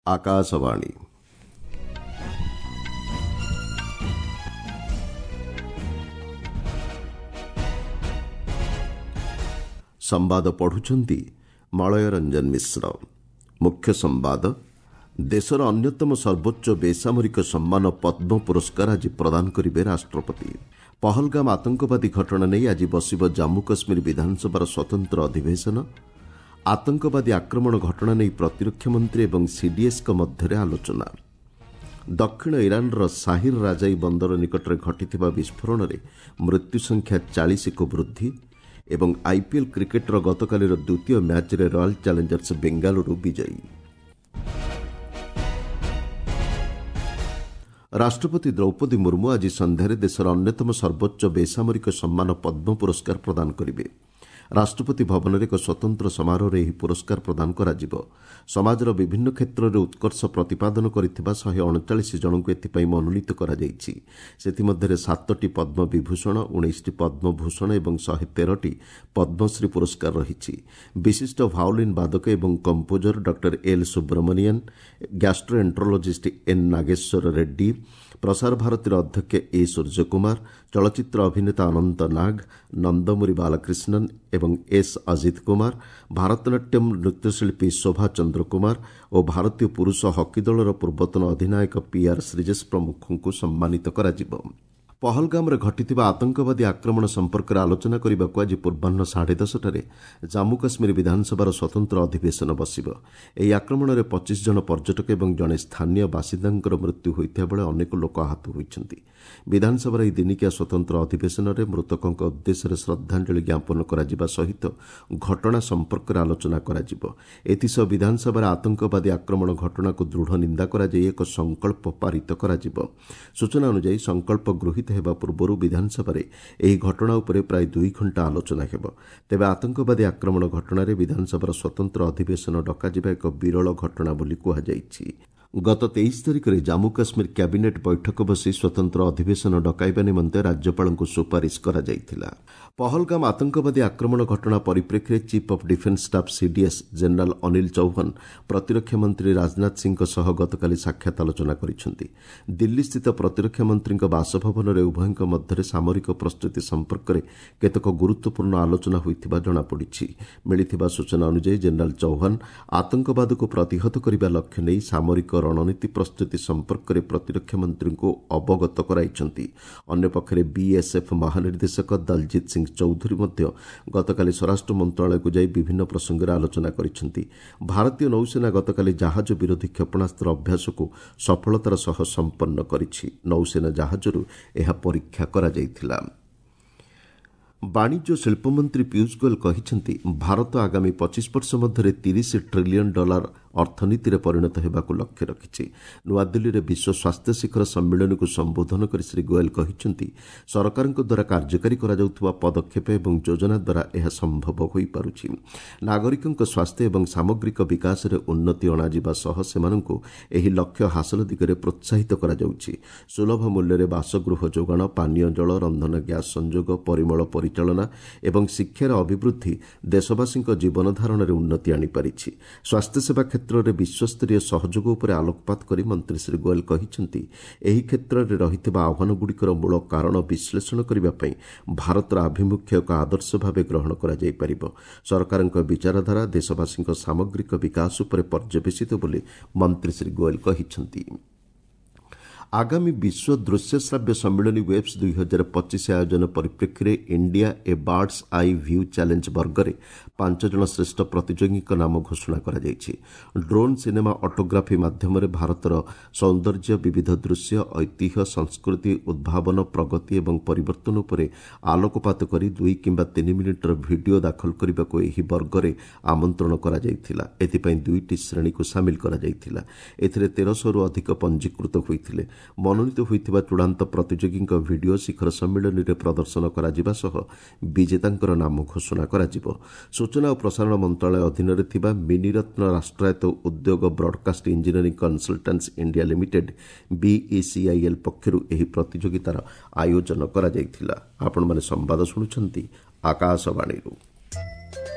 ଆକାଶବାଣୀ। ସମ୍ବାଦ ପଢୁଛନ୍ତି ମଳୟ ରଞ୍ଜନ ମିଶ୍ର। ମୁଖ୍ୟ ସମ୍ବାଦ। ଦେଶର ଅନ୍ୟତମ ସର୍ବୋଚ୍ଚ ବେସାମରିକ ସମ୍ମାନ ପଦ୍ମ ପୁରସ୍କାର ଆଜି ପ୍ରଦାନ କରିବେ ରାଷ୍ଟ୍ରପତି। ପହଲଗାମ ଆତଙ୍କବାଦୀ ଘଟଣା ନେଇ ଆଜି ବସିବ ଜାମ୍ମୁ କାଶ୍ମୀର ବିଧାନସଭାର ସ୍ୱତନ୍ତ୍ର ଅଧିବେଶନ। ଆତଙ୍କବାଦୀ ଆକ୍ରମଣ ଘଟଣା ନେଇ ପ୍ରତିରକ୍ଷା ମନ୍ତ୍ରୀ ଏବଂ ସିଡିଏସ୍ଙ୍କ ମଧ୍ୟରେ ଆଲୋଚନା। ଦକ୍ଷିଣ ଇରାନର ସାହିର ରାଜାଇ ବନ୍ଦର ନିକଟରେ ଘଟିଥିବା ବିସ୍ଫୋରଣରେ ମୃତ୍ୟୁ ସଂଖ୍ୟା 40କୁ ବୃଦ୍ଧି ଏବଂ ଆଇପିଏଲ୍ କ୍ରିକେଟ୍ର ଗତକାଲିର ଦ୍ୱିତୀୟ ମ୍ୟାଚ୍ରେ ରୟାଲ୍ ଚ୍ୟାଲେଞ୍ଜର୍ସ ବେଙ୍ଗାଲୁରୁ ବିଜୟୀ। ରାଷ୍ଟ୍ରପତି ଦ୍ରୌପଦୀ ମୁର୍ମୁ ଆଜି ସନ୍ଧ୍ୟାରେ ଦେଶର ଅନ୍ୟତମ ସର୍ବୋଚ୍ଚ ବେସାମରିକ ସମ୍ମାନ ପଦ୍ମ ପୁରସ୍କାର ପ୍ରଦାନ କରିବେ। ରାଷ୍ଟ୍ରପତି ଭବନରେ ଏକ ସ୍ୱତନ୍ତ୍ର ସମାରୋହରେ ଏହି ପୁରସ୍କାର ପ୍ରଦାନ କରାଯିବ। ସମାଜର ବିଭିନ୍ନ କ୍ଷେତ୍ରରେ ଉତ୍କର୍ଷ ପ୍ରତିପାଦନ କରିଥିବା 139 ଜଣଙ୍କୁ ଏଥିପାଇଁ ମନୋନୀତ କରାଯାଇଛି। ସେଥିମଧ୍ୟରେ 7ଟି ପଦ୍ମବିଭୂଷଣ, 19ଟି ପଦ୍ମଭୂଷଣ ଏବଂ 113ଟି ପଦ୍ମଶ୍ରୀ ପୁରସ୍କାର ରହିଛି। ବିଶିଷ୍ଟ ଭାଓଲିନ୍ ବାଦକ ଏବଂ composer doctor L Subramanian, gastroenterologist N Nageswara Reddy, Prasar ଭାରତୀର ଅଧ୍ୟକ୍ଷ ଏ ସୂର୍ଯ୍ୟକୁମାର, ଚଳଚ୍ଚିତ୍ର ଅଭିନେତା ଅନନ୍ତ ନାଗ, ନନ୍ଦମୁରୀ ବାଲକ୍ରିଷ୍ଣନ୍ ଏବଂ ଏସ୍ ଅଜିତ କୁମାର, ଭାରତନାଟ୍ୟମ୍ ନୃତ୍ୟଶିଳ୍ପୀ ଶୋଭା ଚନ୍ଦ୍ରକୁମାର ଓ ଭାରତୀୟ ପୁରୁଷ ହକି ଦଳର ପୂର୍ବତନ ଅଧିନାୟକ ପିଆର୍ ଶ୍ରୀଜେଶ ପ୍ରମୁଖଙ୍କୁ ସମ୍ମାନିତ କରାଯିବ। ପହଲଗାମରେ ଘଟିଥିବା ଆତଙ୍କବାଦୀ ଆକ୍ରମଣ ସମ୍ପର୍କରେ ଆଲୋଚନା କରିବାକୁ ଆଜି ପୂର୍ବାହ୍ନ 10:30ରେ ଜାମ୍ମୁ କାଶ୍ମୀର ବିଧାନସଭାର ସ୍ୱତନ୍ତ୍ର ଅଧିବେଶନ ବସିବ। ଏହି ଆକ୍ରମଣରେ 25 ଜଣ ପର୍ଯ୍ୟଟକ ଏବଂ ଜଣେ ସ୍ଥାନୀୟ ବାସିନ୍ଦାଙ୍କର ମୃତ୍ୟୁ ହୋଇଥିବା ବେଳେ ଅନେକ ଲୋକ ଆହତ ହୋଇଛନ୍ତି। ବିଧାନସଭାର ଏହି ଦିନିକିଆ ସ୍ୱତନ୍ତ୍ର ଅଧିବେଶନରେ ମୃତକଙ୍କ ଉଦ୍ଦେଶ୍ୟରେ ଶ୍ରଦ୍ଧାଞ୍ଜଳି ଜ୍ଞାପନ କରାଯିବା ସହିତ ଘଟଣା ସମ୍ପର୍କରେ ଆଲୋଚନା କରାଯିବ। ଏଥିସହ ବିଧାନସଭାରେ ଆତଙ୍କବାଦୀ ଆକ୍ରମଣ ଘଟଣାକୁ ଦୃଢ଼ ନିନ୍ଦା କରାଯାଇ ଏକ ସଂକଳ୍ପ ପାରିତ କରାଯିବ। ସୂଚନା ଅନୁଯାୟୀ ସଂକଳ୍ପ ଗୃହୀତ ହେବା ପୂର୍ବରୁ ବିଧାନସଭାରେ ଏହି ଘଟଣା ଉପରେ ପ୍ରାୟ 2 ଘଣ୍ଟା ଆଲୋଚନା ହେବ। ତେବେ ଆତଙ୍କବାଦୀ ଆକ୍ରମଣ ଘଟଣାରେ ବିଧାନସଭାର ସ୍ୱତନ୍ତ୍ର ଅଧିବେଶନ ଡକାଯିବା ଏକ ବିରଳ ଘଟଣା ବୋଲି କୁହାଯାଇଛି। ଗତ 23 ତାରିଖରେ ଜାମ୍ମୁ କାଶ୍ମୀର କ୍ୟାବିନେଟ୍ ବୈଠକ ବସି ସ୍ୱତନ୍ତ୍ର ଅଧିବେଶନ ଡକାଇବା ନିମନ୍ତେ ରାଜ୍ୟପାଳଙ୍କୁ ସୁପାରିଶ କରାଯାଇଥିଲା। ପହଲଗାମ ଆତଙ୍କବାଦୀ ଆକ୍ରମଣ ଘଟଣା ପରିପ୍ରେକ୍ଷୀରେ chief of defence staff CDS general Anil Chauhan ପ୍ରତିରକ୍ଷା ମନ୍ତ୍ରୀ ରାଜନାଥ ସିଂହଙ୍କ ସହ ଗତକାଲି ସାକ୍ଷାତ ଆଲୋଚନା କରିଛନ୍ତି। ଦିଲ୍ଲୀସ୍ଥିତ ପ୍ରତିରକ୍ଷା ମନ୍ତ୍ରୀଙ୍କ ବାସଭବନରେ ଉଭୟଙ୍କ ମଧ୍ୟରେ ସାମରିକ ପ୍ରସ୍ତୁତି ସମ୍ପର୍କରେ କେତେକ ଗୁରୁତ୍ୱପୂର୍ଣ୍ଣ ଆଲୋଚନା ହୋଇଥିବା ଜଣାପଡ଼ିଛି। ମିଳିଥିବା ସୂଚନା ଅନୁଯାୟୀ ଜେନେରାଲ୍ ଚୌହାନ ଆତଙ୍କବାଦକୁ ପ୍ରତିହତ କରିବା ଲକ୍ଷ୍ୟ ନେଇ ସାମରିକ ରଣନୀତି ପ୍ରସ୍ତୁତି ସମ୍ପର୍କରେ ପ୍ରତିରକ୍ଷା ମନ୍ତ୍ରୀଙ୍କୁ ଅବଗତ କରାଇଛନ୍ତି। ଅନ୍ୟପକ୍ଷରେ ବିଏସ୍ଏଫ୍ ମହାନିର୍ଦ୍ଦେଶକ ଦଲଜିତ୍ ସିଂ ଚୌଧୁରୀ ମଧ୍ୟ ଗତକାଲି ସ୍ୱରାଷ୍ଟ୍ର ମନ୍ତ୍ରଣାଳୟକୁ ଯାଇ ବିଭିନ୍ନ ପ୍ରସଙ୍ଗରେ ଆଲୋଚନା କରିଛନ୍ତି। ଭାରତୀୟ ନୌସେନା ଗତକାଲି ଜାହାଜ ବିରୋଧୀ କ୍ଷେପଣାସ୍ତ୍ର ଅଭ୍ୟାସକୁ ସଫଳତାର ସହ ସମ୍ପନ୍ନ କରିଛି। ନୌସେନା ଜାହାଜରୁ ଏହା ପରୀକ୍ଷା କରାଯାଇଥିଲା। ବାଣିଜ୍ୟ ଶିଳ୍ପମନ୍ତ୍ରୀ ପୀୟୁଷ ଗୋଏଲ କହିଛନ୍ତି, ଭାରତ ଆଗାମୀ 25 ବର୍ଷ ମଧ୍ୟରେ 30 ଟ୍ରିଲିୟନ୍ ଡଲାର ଅର୍ଥନୀତିରେ ପରିଣତ ହେବାକୁ ଲକ୍ଷ୍ୟ ରଖିଛି। ନୂଆଦିଲ୍ଲୀରେ ବିଶ୍ୱ ସ୍ୱାସ୍ଥ୍ୟ ଶିଖର ସମ୍ମିଳନୀକୁ ସମ୍ବୋଧନ କରି ଶ୍ରୀ ଗୋଏଲ କହିଛନ୍ତି, ସରକାରଙ୍କ ଦ୍ୱାରା କାର୍ଯ୍ୟକାରୀ କରାଯାଉଥିବା ପଦକ୍ଷେପ ଏବଂ ଯୋଜନା ଦ୍ୱାରା ଏହା ସମ୍ଭବ ହୋଇପାରୁଛି। ନାଗରିକଙ୍କ ସ୍ୱାସ୍ଥ୍ୟ ଏବଂ ସାମଗ୍ରିକ ବିକାଶରେ ଉନ୍ନତି ଅଣାଯିବା ସହ ସେମାନଙ୍କୁ ଏହି ଲକ୍ଷ୍ୟ ହାସଲ ଦିଗରେ ପ୍ରୋତ୍ସାହିତ କରାଯାଉଛି। ସୁଲଭ ମୂଲ୍ୟରେ ବାସଗୃହ ଯୋଗାଣ, ପାନୀୟ ଜଳ, ରନ୍ଧନ ଗ୍ୟାସ୍ ସଂଯୋଗ, ପରିମଳ ପରିଚାଳନା ଏବଂ ଶିକ୍ଷାର ଅଭିବୃଦ୍ଧି ଦେଶବାସୀଙ୍କ ଜୀବନଧାରଣରେ ଉନ୍ନତି ଆଣିପାରିଛି। ସ୍ୱାସ୍ଥ୍ୟସେବା କ୍ଷେତ୍ରରେ ବିଶ୍ୱସ୍ତରୀୟ ସହଯୋଗ ଉପରେ ଆଲୋକପାତ କରି ମନ୍ତ୍ରୀ ଶ୍ରୀ ଗୋଏଲ କହିଛନ୍ତି, ଏହି କ୍ଷେତ୍ରରେ ରହିଥିବା ଆହ୍ୱାନଗୁଡ଼ିକର ମୂଳ କାରଣ ବିଶ୍ଳେଷଣ କରିବା ପାଇଁ ଭାରତର ଆଭିମୁଖ୍ୟ ଏକ ଆଦର୍ଶ ଭାବେ ଗ୍ରହଣ କରାଯାଇପାରିବ। ସରକାରଙ୍କ ବିଚାରଧାରା ଦେଶବାସୀଙ୍କ ସାମଗ୍ରିକ ବିକାଶ ଉପରେ ପର୍ଯ୍ୟବେସିତ ବୋଲି ମନ୍ତ୍ରୀ ଶ୍ରୀ ଗୋଏଲ କହିଛନ୍ତି। ଆଗାମୀ ବିଶ୍ୱ ଦୃଶ୍ୟ ଶ୍ରାବ୍ୟ ସମ୍ମିଳନୀ ୱେବ୍ସ 2025 ଆୟୋଜନ ପରିପ୍ରେକ୍ଷୀରେ India a bird's eye view challenge ବର୍ଗରେ 5 ଜଣ ଶ୍ରେଷ୍ଠ ପ୍ରତିଯୋଗୀଙ୍କ ନାମ ଘୋଷଣା କରାଯାଇଛି। ଡ୍ରୋନ୍ ସିନେମା ଅଟୋଗ୍ରାଫି ମାଧ୍ୟମରେ ଭାରତର ସୌନ୍ଦର୍ଯ୍ୟ, ବିବିଧ ଦୃଶ୍ୟ, ଐତିହ୍ୟ, ସଂସ୍କୃତି, ଉଦ୍ଭାବନ, ପ୍ରଗତି ଏବଂ ପରିବର୍ତ୍ତନ ଉପରେ ଆଲୋକପାତ କରି 2 କିମ୍ବା 3 ମିନିଟ୍ର ଭିଡିଓ ଦାଖଲ କରିବାକୁ ଏହି ବର୍ଗରେ ଆମନ୍ତ୍ରଣ କରାଯାଇଥିଲା। ଏଥିପାଇଁ 2ଟି ଶ୍ରେଣୀକୁ ସାମିଲ କରାଯାଇଥିଲା। ଏଥିରେ 1300ରୁ ଅଧିକ ପଞ୍ଜୀକୃତ ହୋଇଥିଲେ। ମନୋନୀତ ହୋଇଥିବା ଚୂଡ଼ାନ୍ତ ପ୍ରତିଯୋଗୀଙ୍କ ଭିଡିଓ ଶିଖର ସମ୍ମିଳନୀରେ ପ୍ରଦର୍ଶନ କରାଯିବା ସହ ବିଜେତାଙ୍କର ନାମ ଘୋଷଣା କରାଯିବ। ସୂଚନା ଓ ପ୍ରସାରଣ ମନ୍ତ୍ରଣାଳୟ ଅଧୀନରେ ଥିବା ମିନିରତ୍ନ ରାଷ୍ଟ୍ରାୟତ୍ତ ଉଦ୍ୟୋଗ broadcast engineering consultants India limited BECIL ପକ୍ଷରୁ ଏହି ପ୍ରତିଯୋଗିତାର ଆୟୋଜନ କରାଯାଇଥିଲା। ଆପଣମାନେ ସମ୍ବାଦ ଶୁଣୁଛନ୍ତି ଆକାଶବାଣୀରୁ।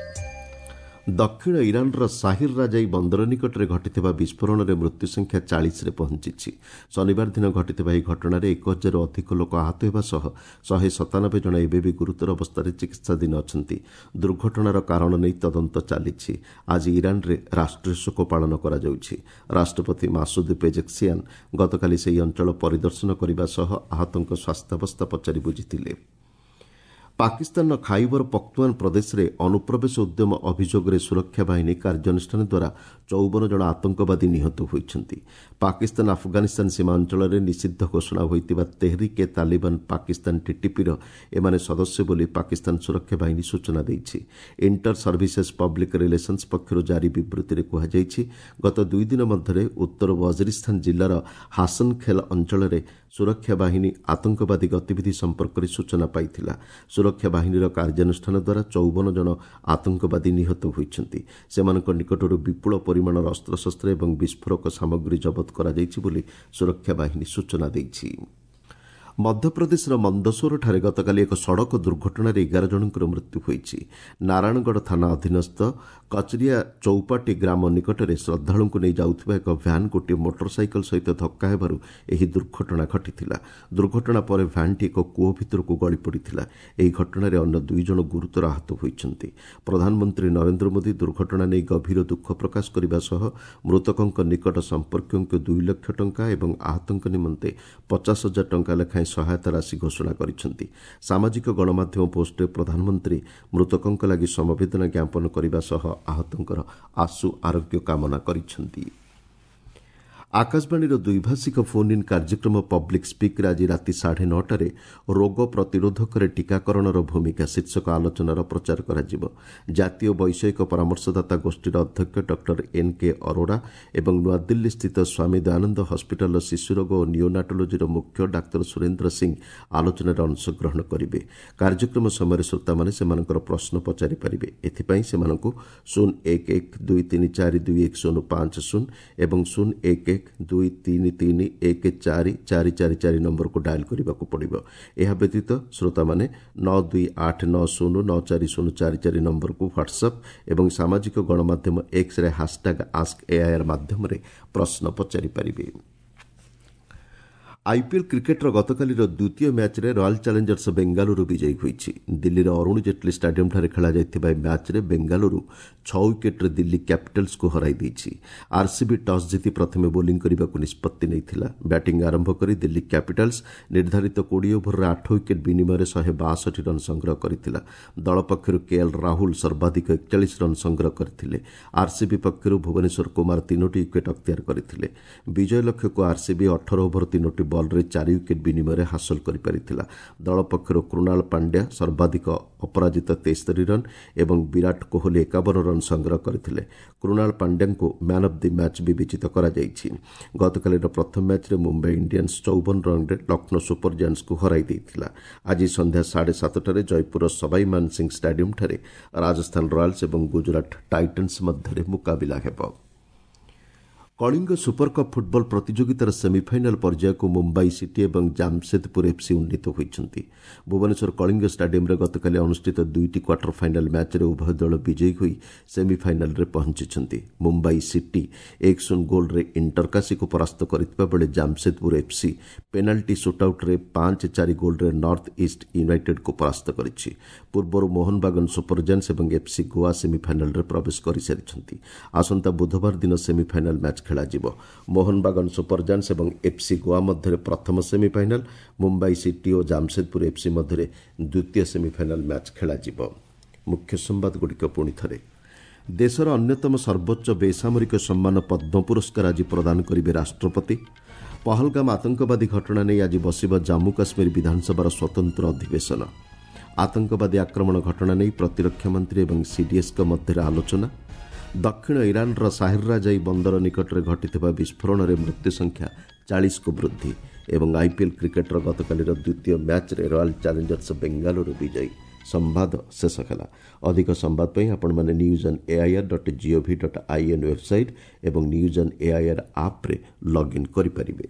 ଦକ୍ଷିଣ ଇରାନର ସାହିର ରାଜାଇ ବନ୍ଦର ନିକଟରେ ଘଟିଥିବା ବିସ୍ଫୋରଣରେ ମୃତ୍ୟୁ ସଂଖ୍ୟା 40ରେ ପହଞ୍ଚିଛି। ଶନିବାର ଦିନ ଘଟିଥିବା ଏହି ଘଟଣାରେ 1000ରୁ ଅଧିକ ଲୋକ ଆହତ ହେବା ସହ 197 ଜଣ ଏବେ ବି ଗୁରୁତର ଅବସ୍ଥାରେ ଚିକିତ୍ସାଧୀନ ଅଛନ୍ତି। ଦୁର୍ଘଟଣାର କାରଣ ନେଇ ତଦନ୍ତ ଚାଲିଛି। ଆଜି ଇରାନରେ ରାଷ୍ଟ୍ରୀୟ ଶୋକ ପାଳନ କରାଯାଉଛି। ରାଷ୍ଟ୍ରପତି ମାସୁଦ ପେଜେକ୍ସିଆନ୍ ଗତକାଲି ସେହି ଅଞ୍ଚଳ ପରିଦର୍ଶନ କରିବା ସହ ଆହତଙ୍କ ସ୍ୱାସ୍ଥ୍ୟାବସ୍ଥା ପଚାରି ବୁଝିଥିଲେ। ପାକିସ୍ତାନର ଖାଇବର ପଖ୍ତୁଆନ୍ ପ୍ରଦେଶରେ ଅନୁପ୍ରବେଶ ଉଦ୍ୟମ ଅଭିଯୋଗରେ ସୁରକ୍ଷା ବାହିନୀ କାର୍ଯ୍ୟାନୁଷ୍ଠାନ ଦ୍ୱାରା 54 ଜଣ ଆତଙ୍କବାଦୀ ନିହତ ହୋଇଛନ୍ତି। ପାକିସ୍ତାନ ଆଫଗାନିସ୍ତାନ ସୀମା ଅଞ୍ଚଳରେ ନିଷିଦ୍ଧ ଘୋଷଣା ହୋଇଥିବା ତେହରିକ ଏ ତାଲିବାନ ପାକିସ୍ତାନ ଟିଟିପିର ଏମାନେ ସଦସ୍ୟ ବୋଲି ପାକିସ୍ତାନ ସୁରକ୍ଷା ବାହିନୀ ସୂଚନା ଦେଇଛି। ଇଣ୍ଟର ସର୍ଭିସେସ୍ ପବ୍ଲିକ୍ ରିଲେସନ୍ସ ପକ୍ଷରୁ ଜାରି ବିବୃତ୍ତିରେ କୁହାଯାଇଛି, ଗତ 2 ଦିନ ମଧ୍ୟରେ ଉତ୍ତର ୱଜିରିସ୍ତାନ ଜିଲ୍ଲାର ହାସନଖେଲ ଅଞ୍ଚଳରେ ସୁରକ୍ଷା ବାହିନୀ ଆତଙ୍କବାଦୀ ଗତିବିଧି ସମ୍ପର୍କରେ ସୂଚନା ପାଇଥିଲା। ସୁରକ୍ଷା ବାହିନୀର କାର୍ଯ୍ୟାନୁଷ୍ଠାନ ଦ୍ୱାରା 54 ଜଣ ଆତଙ୍କବାଦୀ ନିହତ ହୋଇଛନ୍ତି। ସେମାନଙ୍କ ନିକଟରୁ ବିପୁଳ ପରିମାଣର ଅସ୍ତ୍ରଶସ୍ତ୍ର ଏବଂ ବିସ୍ଫୋରକ ସାମଗ୍ରୀ ଜବତ କରାଯାଇଛି ବୋଲି ସୁରକ୍ଷା ବାହିନୀ ସୂଚନା ଦେଇଛି। ମଧ୍ୟପ୍ରଦେଶର ମନ୍ଦସୌରଠାରେ ଗତକାଲି ଏକ ସଡ଼କ ଦୁର୍ଘଟଣାରେ 11 ଜଣଙ୍କର ମୃତ୍ୟୁ ହୋଇଛି। ନାରାୟଣଗଡ଼ ଥାନା ଅଧୀନସ୍ଥ କଚରିଆ ଚୌପାଟି ଗ୍ରାମ ନିକଟରେ ଶ୍ରଦ୍ଧାଳୁଙ୍କୁ ନେଇ ଯାଉଥିବା ଏକ ଭ୍ୟାନ୍ ଗୋଟିଏ ମୋଟରସାଇକେଲ ସହିତ ଧକ୍କା ହେବାରୁ ଏହି ଦୁର୍ଘଟଣା ଘଟିଥିଲା। ଦୁର୍ଘଟଣା ପରେ ଭ୍ୟାନ୍ଟି ଏକ କୂଅ ଭିତରକୁ ଗଳି ପଡ଼ିଥିଲା। ଏହି ଘଟଣାରେ ଅନ୍ୟ 2 ଜଣ ଗୁରୁତର ଆହତ ହୋଇଛନ୍ତି। ପ୍ରଧାନମନ୍ତ୍ରୀ ନରେନ୍ଦ୍ର ମୋଦି ଦୁର୍ଘଟଣା ନେଇ ଗଭୀର ଦୁଃଖ ପ୍ରକାଶ କରିବା ସହ ମୃତକଙ୍କ ନିକଟ ସମ୍ପର୍କୀୟଙ୍କୁ 2 ଲକ୍ଷ ଟଙ୍କା ଏବଂ ଆହତଙ୍କ ନିମନ୍ତେ 50,000 ଟଙ୍କା ଲେଖାଏଁ ସହାୟତା ରାଶି ଘୋଷଣା କରିଛନ୍ତି। ସାମାଜିକ ଗଣମାଧ୍ୟମ ପୋଷ୍ଟରେ ପ୍ରଧାନମନ୍ତ୍ରୀ ମୃତକଙ୍କ ଲାଗି ସମବେଦନା ଜ୍ଞାପନ କରିବା ସହ ଆହତଙ୍କର ଆଶୁ ଆରୋଗ୍ୟ କାମନା କରିଛନ୍ତି। ଆକାଶବାଣୀର ଦ୍ୱିଭାଷିକ ଫୋନ୍ ଇନ୍ କାର୍ଯ୍ୟକ୍ରମ ପବ୍ଲିକ୍ ସ୍ପିକ୍ରେ ଆଜି ରାତି 9:30ରେ ରୋଗ ପ୍ରତିରୋଧକରେ ଟୀକାକରଣର ଭୂମିକା ଶୀର୍ଷକ ଆଲୋଚନାର ପ୍ରଚାର କରାଯିବ। ଜାତୀୟ ବୈଷୟିକ ପରାମର୍ଶଦାତା ଗୋଷ୍ଠୀର ଅଧ୍ୟକ୍ଷ ଡକ୍ଟର ଏନ୍ କେ ଅରୋରା ଏବଂ ନୂଆଦିଲ୍ଲୀସ୍ଥିତ ସ୍ୱାମୀ ଦୟାନନ୍ଦ ହସ୍ପିଟାଲର ଶିଶୁରୋଗ ଓ ନିଓନାଟୋଲୋଜିର ମୁଖ୍ୟ ଡାକ୍ତର ସୁରେନ୍ଦ୍ର ସିଂ ଆଲୋଚନାରେ ଅଂଶଗ୍ରହଣ କରିବେ। କାର୍ଯ୍ୟକ୍ରମ ସମୟରେ ଶ୍ରୋତାମାନେ ସେମାନଙ୍କର ପ୍ରଶ୍ନ ପଚାରିପାରିବେ। ଏଥିପାଇଁ ସେମାନଙ୍କୁ 0 1 1 2 3 4 2 1 0 5 0 ଏବଂ 0 1 1 2 3 3 1 4 4 4 4 ନମ୍ବରକୁ ଡାଏଲ୍ କରିବାକୁ ପଡ଼ିବ। ଏହା ବ୍ୟତୀତ ଶ୍ରୋତାମାନେ 9 2 8 9 0 9 4 0 4 4 ନମ୍ବରକୁ ହ୍ୱାଟ୍ସଆପ୍ ଏବଂ ସାମାଜିକ ଗଣମାଧ୍ୟମ ଏକ୍ସରେ ହାସଟ୍ୟାଗ୍ ଆସ୍କ ଏଆଇଆର୍ ମାଧ୍ୟମରେ ପ୍ରଶ୍ନ ପଚାରିପାରିବେ। ଆଇପିଏଲ୍ କ୍ରିକେଟ୍ର ଗତକାଲିର ଦ୍ୱିତୀୟ ମ୍ୟାଚ୍ରେ ରୟାଲ୍ ଚ୍ୟାଲେଞ୍ଜର୍ସ ବେଙ୍ଗାଲୁରୁ ବିଜୟୀ ହୋଇଛି। ଦିଲ୍ଲୀର ଅରୁଣ ଜେଟ୍ଲୀ ଷ୍ଟାଡିୟମ୍ଠାରେ ଖେଳାଯାଇଥିବା ଏହି ମ୍ୟାଚ୍ରେ ବେଙ୍ଗାଲୁରୁ 6 ୱିକେଟ୍ରେ ଦିଲ୍ଲୀ କ୍ୟାପିଟାଲ୍ସକୁ ହରାଇ ଦେଇଛି। ଆର୍ସିବି ଟସ୍ ଜିତି ପ୍ରଥମେ ବୋଲିଂ କରିବାକୁ ନିଷ୍ପତ୍ତି ନେଇଥିଲା। ବ୍ୟାଟିଂ ଆରମ୍ଭ କରି ଦିଲ୍ଲୀ କ୍ୟାପିଟାଲ୍ସ ନିର୍ଦ୍ଧାରିତ 20 ଓଭରରେ 8 ୱିକେଟ୍ ବିନିମୟରେ 162 ରନ୍ ସଂଗ୍ରହ କରିଥିଲା। ଦଳ ପକ୍ଷରୁ କେଏଲ୍ ରାହୁଲ ସର୍ବାଧିକ 41 ରନ୍ ସଂଗ୍ରହ କରିଥିଲେ। ଆର୍ସିବି ପକ୍ଷରୁ ଭୁବନେଶ୍ୱର କୁମାର 3ଟି ୱିକେଟ୍ ଅକ୍ତିଆର କରିଥିଲେ। ବିଜୟ ଲକ୍ଷ୍ୟକୁ ଆର୍ସିବି 18 ଓଭର 3ଟି ବଲ୍ରେ 4 ୱିକେଟ୍ ବିନିମୟରେ ହାସଲ କରିପାରିଥିଲା। ଦଳ ପକ୍ଷରୁ କୃଣାଳ ପାଣ୍ଡ୍ୟା ସର୍ବାଧିକ ଅପରାଜିତ 73 ରନ୍ ଏବଂ ବିରାଟ କୋହଲି 51 ରନ୍ ସଂଗ୍ରହ କରିଥିଲେ। କୃଣାଳ ପାଣ୍ଡ୍ୟାଙ୍କୁ ମ୍ୟାନ୍ ଅଫ୍ the match ବିବେଚିତ କରାଯାଇଛି। ଗତକାଲିର ପ୍ରଥମ ମ୍ୟାଚ୍ରେ ମୁମ୍ବାଇ ଇଣ୍ଡିଆନ୍ସ 54 ରନ୍ରେ ଲକ୍ଷ୍ନୌ ସୁପର ଜାଏଣ୍ଟସ୍କୁ ହରାଇ ଦେଇଥିଲା। ଆଜି ସନ୍ଧ୍ୟା 7:30ରେ ଜୟପୁରର ସବାଇ ମାନସିଂ ଷ୍ଟାଡିୟମ୍ଠାରେ ରାଜସ୍ଥାନ ରୟାଲ୍ସ ଏବଂ ଗୁଜରାଟ ଟାଇଟନ୍ସ ମଧ୍ୟରେ ମୁକାବିଲା ହେବ। କଳିଙ୍ଗ ସୁପରକପ୍ ଫୁଟବଲ ପ୍ରତିଯୋଗିତାର ସେମିଫାଇନାଲ୍ ପର୍ଯ୍ୟାୟକୁ ମୁମ୍ବାଇ ସିଟି ଏବଂ ଜାମସେଦପୁର ଏଫ୍ସି ଉନ୍ନୀତ ହୋଇଛନ୍ତି। ଭୁବନେଶ୍ୱର କଳିଙ୍ଗ ଷ୍ଟାଡିୟମ୍ରେ ଗତକାଲି ଅନୁଷ୍ଠିତ 2ଟି କ୍ୱାର୍ଟର ଫାଇନାଲ୍ ମ୍ୟାଚ୍ରେ ଉଭୟ ଦଳ ବିଜୟୀ ହୋଇ ସେମିଫାଇନାଲ୍ରେ ପହଞ୍ଚିଛନ୍ତି। ମୁମ୍ବାଇ ସିଟି 1-0 ଗୋଲ୍ରେ ଇଣ୍ଟରକାଶୀକୁ ପରାସ୍ତ କରିଥିବା ବେଳେ ଜାମସେଦପୁର ଏଫ୍ସି ପେନାଲ୍ଟି ସୁଟ୍ଆଉଟ୍ରେ 5-4 ଗୋଲ୍ରେ ନର୍ଥ ଇଷ୍ଟ ୟୁନାଇଟେଡ୍କୁ ପରାସ୍ତ କରିଛି। ପୂର୍ବରୁ ମୋହନବାଗନ ସୁପର ଜାଏଣ୍ଟସ୍ ଏବଂ ଏଫ୍ସି ଗୋଆ ସେମିଫାଇନାଲ୍ରେ ପ୍ରବେଶ କରିସାରିଛନ୍ତି। ଆସନ୍ତା ବୁଧବାର ଦିନ ସେମିଫାଇନାଲ୍ ମ୍ୟାଚ୍ ଖେଳାଯିବ। ମୋହନବାଗନ ସୁପର ଜାଏଣ୍ଟସ୍ ଏବଂ ଏଫ୍ସି ଗୋଆ ମଧ୍ୟରେ ପ୍ରଥମ ସେମିଫାଇନାଲ୍, ମୁମ୍ବାଇ ସିଟି ଓ ଜାମସେଦପୁର ଏଫ୍ସି ମଧ୍ୟରେ ଦ୍ୱିତୀୟ ସେମିଫାଇନାଲ୍ ମ୍ୟାଚ୍ ଖେଳାଯିବ। ମୁଖ୍ୟ ସମ୍ବାଦଗୁଡ଼ିକ ପୁଣି ଥରେ। ଦେଶର ଅନ୍ୟତମ ସର୍ବୋଚ୍ଚ ବେସାମରିକ ସମ୍ମାନ ପଦ୍ମ ପୁରସ୍କାର ଆଜି ପ୍ରଦାନ କରିବେ ରାଷ୍ଟ୍ରପତି। ପହଲଗାମ ଆତଙ୍କବାଦୀ ଘଟଣା ନେଇ ଆଜି ବସିବ ଜାମ୍ମୁ କାଶ୍ମୀର ବିଧାନସଭାର ସ୍ୱତନ୍ତ୍ର ଅଧିବେଶନ। ଆତଙ୍କବାଦୀ ଆକ୍ରମଣ ଘଟଣା ନେଇ ପ୍ରତିରକ୍ଷା ମନ୍ତ୍ରୀ ଏବଂ ସିଡିଏସ୍ଙ୍କ ମଧ୍ୟରେ ଆଲୋଚନା। ଦକ୍ଷିଣ ଇରାନର ସାହିରରାଜାଇ ବନ୍ଦର ନିକଟରେ ଘଟିଥିବା ବିସ୍ଫୋରଣରେ ମୃତ୍ୟୁ ସଂଖ୍ୟା 40କୁ ବୃଦ୍ଧି। ଏବଂ ଆଇପିଏଲ୍ କ୍ରିକେଟ୍ର ଗତକାଲିର ଦ୍ୱିତୀୟ ମ୍ୟାଚ୍ରେ ରୟାଲ୍ ଚ୍ୟାଲେଞ୍ଜର୍ସ ବେଙ୍ଗାଲୁରୁ ବିଜୟୀ। ସମ୍ବାଦ ଶେଷ ହେଲା। ଅଧିକ ସମ୍ବାଦ ପାଇଁ ଆପଣମାନେ news on AIR dot GOV dot IN website ଏବଂ ନ୍ୟୁଜ୍ ଅନ୍ ଏଆଇଆର୍ ଆପ୍ରେ ଲଗ୍ଇନ୍ କରିପାରିବେ।